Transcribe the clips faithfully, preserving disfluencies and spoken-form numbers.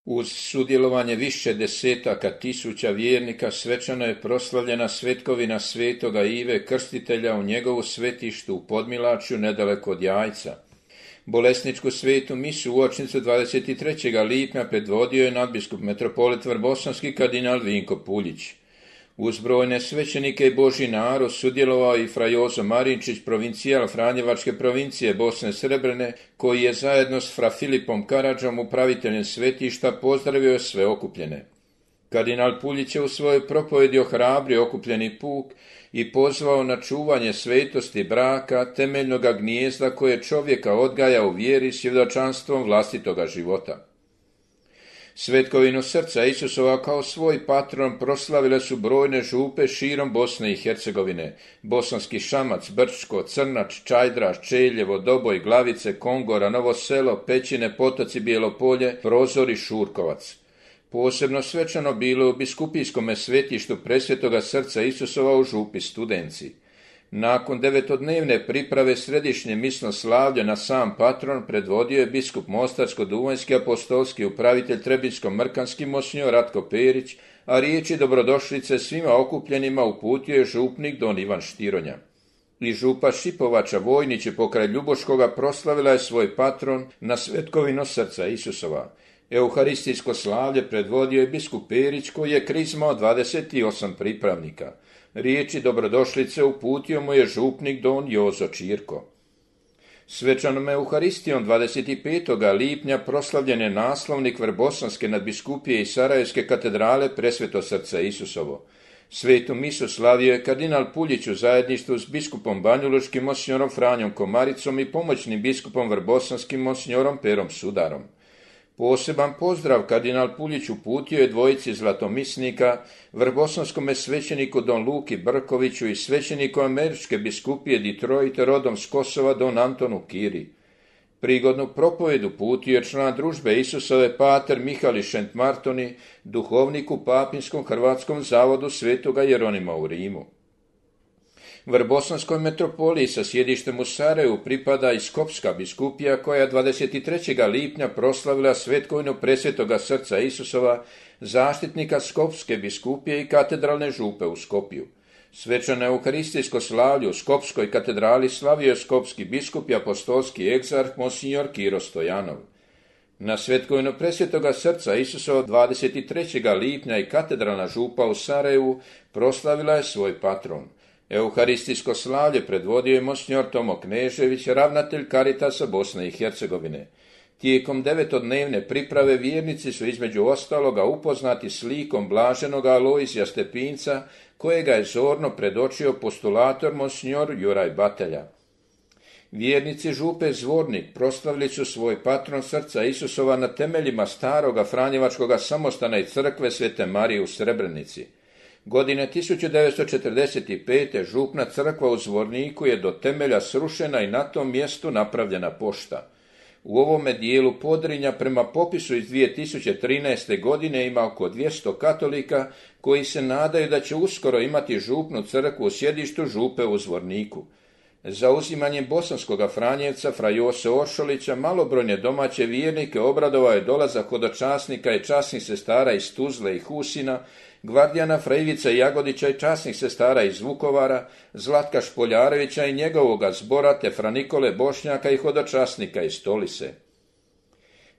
Uz sudjelovanje više desetaka tisuća vjernika svečano je proslavljena svetkovina svetoga Ive Krstitelja u njegovu svetištu u Podmilačju nedaleko od Jajca. Bolesničku svetu misu uočnicu dvadeset trećeg lipnja predvodio je nadbiskup metropolit Vrbosanski kardinal Vinko Puljić. Uz brojne svećenike i Božji narod sudjelovao i fra Jozo Marinčić, provincijal Franjevačke provincije Bosne Srebrene, koji je zajedno s fra Filipom Karadžom, upraviteljem svetišta, pozdravio sve okupljene. Kardinal Puljić je u svojoj propovedi ohrabrio okupljeni puk i pozvao na čuvanje svetosti braka, temeljnoga gnijezda koje čovjeka odgaja u vjeri svjedočanstvom vlastitoga života. Svetkovinu srca Isusova kao svoj patron proslavile su brojne župe širom Bosne i Hercegovine: Bosanski Šamac, Brčko, Crnač, Čajdraš, Čeljevo, Doboj, Glavice, Kongora, Novo Selo, Pećine, Potoci, Bijelopolje, Prozor i Šurkovac. Posebno svečano bilo u biskupijskome svetištu Presvetoga srca Isusova u župi Studenci. Nakon devetodnevne priprave središnje misno slavlje na sam patron predvodio je biskup Mostarsko-duvanjski apostolski upravitelj Trebinjsko-mrkanski monsinjor Ratko Perić, a riječi dobrodošlice svima okupljenima uputio je župnik don Ivan Štironja. I župa Šipovača Vojnić pokraj Ljuboškoga proslavila je svoj patron na svetkovinu srca Isusova. Euharistijsko slavlje predvodio je biskup Perić, koji je krizmao dvadeset osam pripravnika. Riječi dobrodošlice uputio mu je župnik don Jozo Čirko. Svečanom Euharistijom dvadeset petog lipnja proslavljen je naslovnik Vrbosanske nadbiskupije i Sarajevske katedrale Presveto srce Isusovo. Svetu misu slavio je kardinal Puljić u zajedništvu s biskupom banjulučkim monsinjorom Franjom Komaricom i pomoćnim biskupom vrbosanskim monsinjorom Perom Sudarom. Poseban pozdrav kardinal Puljić uputio je dvojici zlatomisnika, vrbosanskome svećeniku don Luki Brkoviću i svećeniku američke biskupije Detroit rodom s Kosova don Antonu Kiri. Prigodnu propovjed uputio je član družbe Isusove pater Mihali Šentmartoni, duhovnik u Papinskom hrvatskom zavodu Svetoga Jeronima u Rimu. Vrbosanskoj metropoliji sa sjedištem u Sarajevu pripada i Skopska biskupija, koja je dvadeset trećeg lipnja proslavila svetkovinu Presvetoga srca Isusova, zaštitnika Skopske biskupije i katedralne župe u Skopju. Svečano euharistijsko slavlje u Skopskoj katedrali slavio je skopski biskup i apostolski egzarh monsinjor Kiro Stojanov. Na svetkovinu Presvetoga srca Isusova dvadeset trećeg lipnja i katedralna župa u Sarajevu proslavila je svoj patron. Euharistijsko slavlje predvodio je monsinjor Tomo Knežević, ravnatelj Karitasa Bosne i Hercegovine. Tijekom devetodnevne priprave vjernici su između ostaloga upoznati s likom blaženoga Alojzija Stepinca, kojega je zorno predočio postulator monsinjor Juraj Batelja. Vjernici župe Zvornik proslavili su svoj patron srca Isusova na temeljima staroga Franjevačkoga samostana i crkve Svete Marije u Srebrenici. Godine tisuću devetsto četrdeset pete. župna crkva u Zvorniku je do temelja srušena i na tom mjestu napravljena pošta. U ovome dijelu Podrinja prema popisu iz dvije tisuće trinaeste. godine ima oko dvjesto katolika koji se nadaju da će uskoro imati župnu crkvu u sjedištu župe u Zvorniku. Zauzimanjem bosanskoga Franjevca fra Jose Oršolića malobrojne domaće vjernike obradovao je dolazak hodočasnika i časnih sestara iz Tuzle i Husina, gvardijana fra Ivica Jagodića i časnih sestara iz Vukovara, Zlatka Špoljarevića i njegovoga zbora te fra Nikole Bošnjaka i hodočasnika iz Stolise.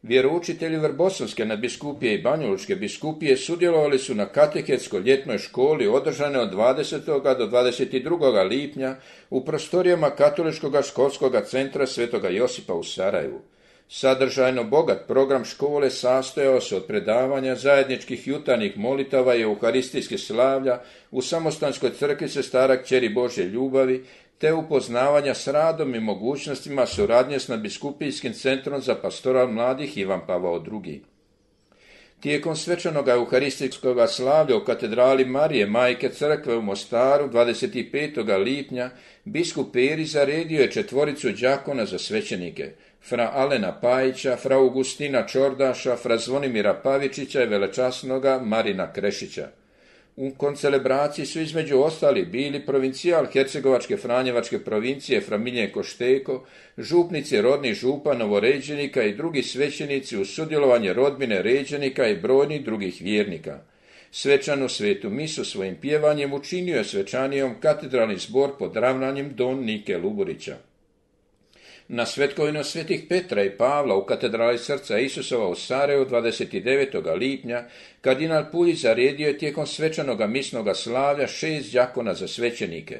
Vjeroučitelji Vrbosanske nadbiskupije i Banjalučke biskupije sudjelovali su na katehetskoj ljetnoj školi održane od dvadesetog do dvadeset drugog lipnja u prostorijama Katoličkog školskog centra Svetoga Josipa u Sarajevu. Sadržajno bogat program škole sastojao se od predavanja zajedničkih jutarnjih molitava i euharistijskih slavlja u Samostanskoj crkvi Sestara Kćeri Božje ljubavi, te upoznavanja s radom i mogućnostima suradnje s nadbiskupijskim centrom za pastoral mladih Ivan Pavao drugi. Tijekom svečanog euharistijskog slavlja u katedrali Marije Majke crkve u Mostaru dvadeset petog lipnja biskup Peri zaredio je četvoricu đakona za svećenike: fra Alena Pajića, fra Augustina Čordaša, fra Zvonimira Pavičića i velečasnoga Marina Krešića. U koncelebraciji su između ostalih bili provincijal Hercegovačke Franjevačke provincije fra Miljenko Šteko, župnici rodnih župa novoređenika i drugi svećenici uz sudjelovanje rodbine ređenika i brojnih drugih vjernika. Svečanu svetu misu svojim pjevanjem učinio je svečanijom katedralni zbor pod ravnanjem don Nike Luburića. Na svetkovinu svetih Petra i Pavla u katedrali Srca Isusova u Sarajevu dvadeset devetog lipnja kardinal Puljić zaredio je tijekom svečanoga misnoga slavlja šest đakona za svećenike.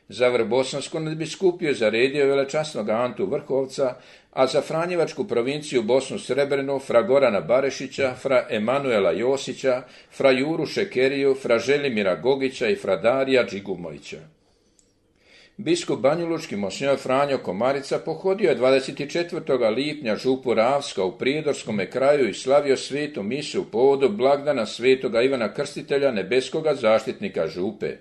Za Vrbosansku nadbiskupiju zaredio je velečasnog Antu Vrhovca, a za Franjevačku provinciju Bosnu Srebrenu fra Gorana Barešića, fra Emanuela Josića, fra Juru Šekeriju, fra Želimira Gogića i fra Darija Džigumovića. Biskup banjalučki monsinjor Franjo Komarica pohodio je dvadeset četvrtog lipnja župu Ravska u Prijedorskome kraju i slavio svetu misu u povodu blagdana svetoga Ivana Krstitelja, nebeskoga zaštitnika župe.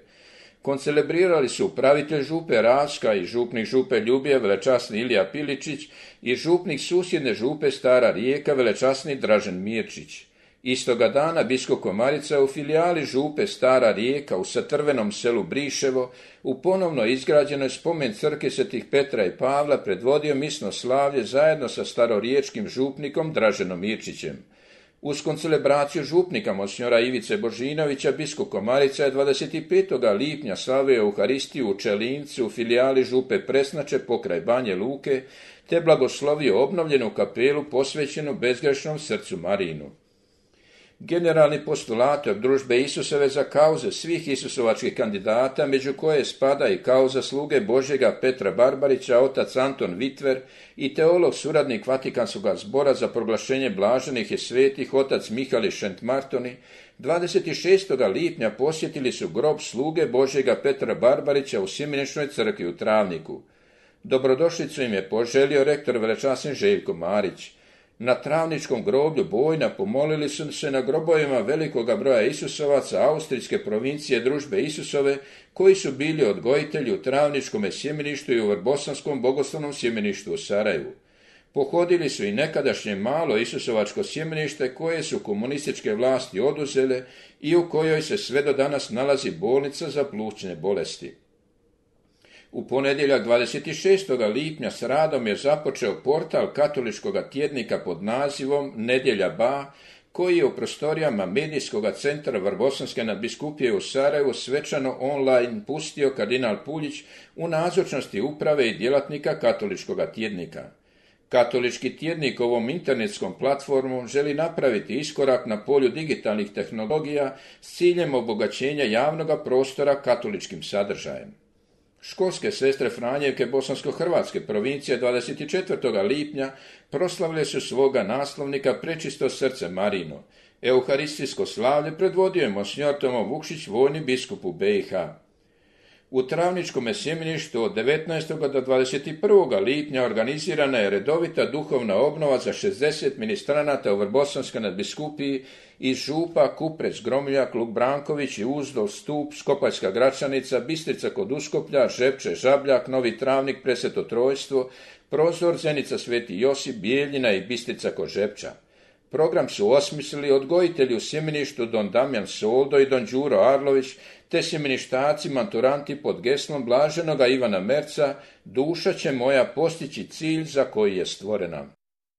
Koncelebrirali su upravitelj župe Ravska i župnik župe Ljubije velečasni Ilija Piličić i župnik susjedne župe Stara Rijeka velečasni Dražen Mirčić. Istoga dana biskup Komarica u filijali župe Stara Rijeka u Satrvenom selu Briševo u ponovno izgrađenoj spomen crkvi svetih Petra i Pavla predvodio misno slavlje zajedno sa staroriječkim župnikom Draženom Mirčićem. Uz koncelebraciju župnika monsinjora Ivice Božinovića biskup Komarica je dvadeset petog lipnja slavio Euharistiju u Čelincu u filijali župe Presnače pokraj Banje Luke te blagoslovio obnovljenu kapelu posvećenu bezgrešnom srcu Marinu. Generalni postulator družbe Isusove za kauze svih isusovačkih kandidata, među koje spada i kauza sluge Božjega Petra Barbarića, otac Anton Vitver i teolog suradnik Vatikanskog zbora za proglašenje blaženih i svetih, otac Mihali Šentmartoni, dvadeset šestog lipnja posjetili su grob sluge Božjega Petra Barbarića u Simeničnoj crkvi u Travniku. Dobrodošlicu im je poželio rektor velečasni Željko Marić. Na Travničkom groblju Bojna pomolili su se na grobovima velikoga broja Isusovaca austrijske provincije družbe Isusove, koji su bili odgojitelji u Travničkom sjemeništu i u Vrbosanskom bogoslovnom sjemeništu u Sarajevu. Pohodili su i nekadašnje malo Isusovačko sjemenište koje su komunističke vlasti oduzele i u kojoj se sve do danas nalazi bolnica za plućne bolesti. U ponedjeljak dvadeset šestog lipnja s radom je započeo portal katoličkog tjednika pod nazivom Nedjelja Ba, koji je u prostorijama medijskog centra Vrbosanske nadbiskupije u Sarajevu svečano online pustio kardinal Puljić u nazočnosti uprave i djelatnika katoličkog tjednika. Katolički tjednik ovom internetskom platformom želi napraviti iskorak na polju digitalnih tehnologija s ciljem obogaćenja javnog prostora katoličkim sadržajem. Školske sestre Franjevke bosansko-hrvatske provincije dvadeset četvrtog lipnja proslavile su svoga naslovnika Prečisto srce Marino. Euharistijsko slavlje predvodio je monsinjor Tomo Vukšić, vojni biskup u B i H. U Travničkom sjemeništu od devetnaestog do dvadeset prvog lipnja organizirana je redovita duhovna obnova za šezdeset ministranata u Vrbosanskoj nadbiskupiji iz župa Kuprec, Gromiljak, Luk Branković i Uzdol, Stup, Skopaljska Gračanica, Bistrica kod Uskoplja, Žepče, Žabljak, Novi Travnik, Presveto Trojstvo, Prozor, Zenica, Sveti Josip, Bijeljina i Bistrica kod Žepča. Program su osmislili odgojitelji u sjemeništu don Damjan Soldo i don Đuro Arlović, te sjemeništaci maturanti pod geslom blaženoga Ivana Merca, duša će moja postići cilj za koji je stvorena.